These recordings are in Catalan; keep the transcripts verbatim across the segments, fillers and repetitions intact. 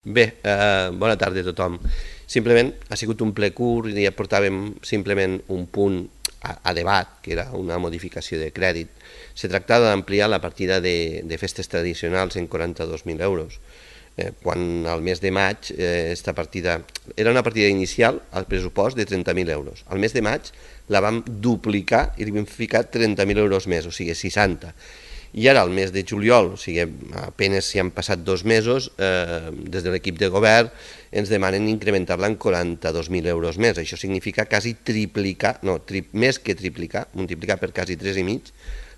Bé, eh, bona tarda a tothom. Simplement ha sigut un ple curt i ja portàvem simplement un punt a, a debat, que era una modificació de crèdit. Se tractava d'ampliar la partida de, de festes tradicionals en quaranta-dos mil euros. Eh, quan al mes de maig eh, esta partida era una partida inicial al pressupost de trenta mil euros. Al mes de maig la vam duplicar i li vam ficar trenta mil euros més, o sigui seixanta. I ara, al mes de juliol, o sigui, apenas si han passat dos mesos, eh, des de l'equip de govern ens demanen incrementar-la en quaranta-dos mil euros més. Això significa quasi triplicar, no, tri, més que triplicar, multiplicar per quasi tres i mig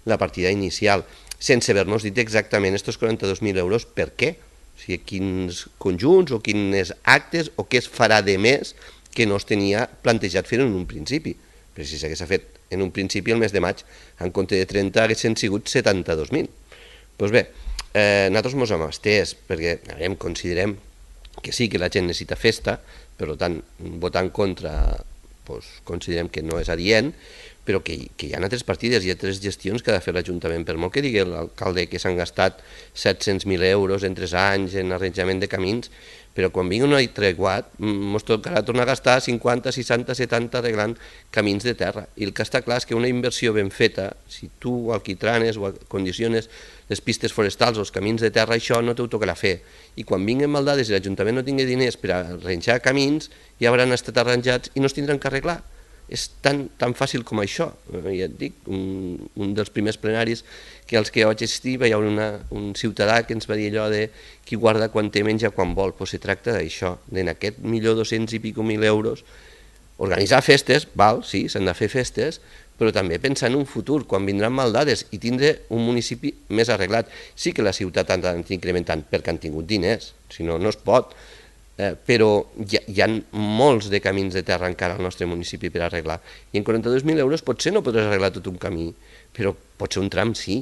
la partida inicial, sense haver-nos dit exactament aquests quaranta-dos mil euros per què, o sigui, quins conjunts o quins actes o què es farà de més que no es tenia plantejat fer en un principi. Però si s'hagués fet en un principi, el mes de maig, en compte de trenta, haguessin sigut setanta-dos mil. Doncs bé, eh, nosaltres ens hem estès, perquè veiem, considerem que sí que la gent necessita festa, per tant, votar en contra doncs, considerem que no és adient, però que, que hi ha altres partides, hi ha altres gestions que ha de fer l'Ajuntament, per molt que digui l'alcalde que s'han gastat set-cents mil euros en tres anys en arranjament de camins, però quan vingui un altre guat ens tocarà tornar a gastar cinquanta, seixanta, setanta arreglant camins de terra. I el que està clar és que una inversió ben feta, si tu alquitranes o condiciones les pistes forestals o els camins de terra, això no t'ho tocarà fer. I quan vinguin maldades i l'Ajuntament no tingui diners per arranjar camins, ja hauran estat arranjats i no es tindran que arreglar. És tan, tan fàcil com això. Ja et dic, un, un dels primers plenaris que als que vaig assistir hi ha una, un ciutadà que ens va dir allò de qui guarda quan té menja quan vol. Pues se tracta d'això, d'en aquest milió dos-cents i pico mil euros, organitzar festes, val, sí, s'han de fer festes, però també pensar en un futur, quan vindran maldades i tindre un municipi més arreglat. Sí que la ciutat ha d'anar incrementant perquè han tingut diners, si no, no es pot, Eh, però hi ha, hi ha molts de camins de terra encara al nostre municipi per arreglar. I en quaranta-dos mil euros potser no podràs arreglar tot un camí, però potser un tram sí.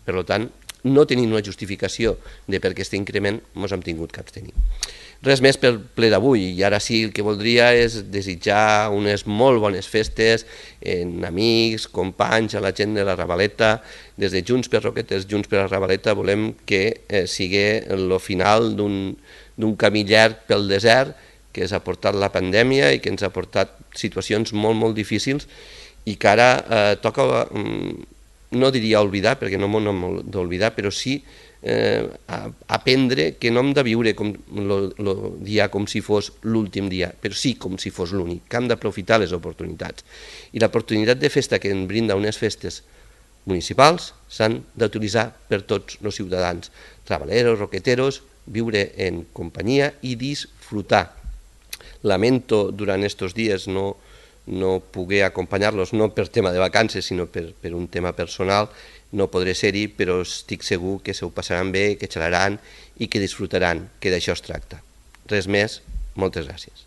Per tant, no tenim una justificació de per què aquest increment ens hem tingut que abstenir. Res més pel ple d'avui, i ara sí el que voldria és desitjar unes molt bones festes en amics, companys, a la gent de la Ravaleta. Des de Junts per Roquetes, Junts per la Ravaleta, volem que eh, sigui el final d'un d'un camí llarg pel desert que ens ha portat la pandèmia i que ens ha portat situacions molt, molt difícils i que ara eh, toca, no diria oblidar, perquè no m'ho hem d'oblidar, però sí eh, aprendre que no hem de viure com el dia com si fos l'últim dia, però sí com si fos l'únic, que hem d'aprofitar les oportunitats. I l'oportunitat de festa que ens brinda unes festes municipals s'han d'utilitzar per tots els ciutadans, travaleros, roqueteros, viure en companyia i disfrutar. Lamento durant aquests dies no, no poder acompanyar-los, no per tema de vacances, sinó per, per un tema personal, no podré ser-hi, però estic segur que se ho passaran bé, que xalaran i que disfrutaran, que d'això es tracta. Res més, moltes gràcies.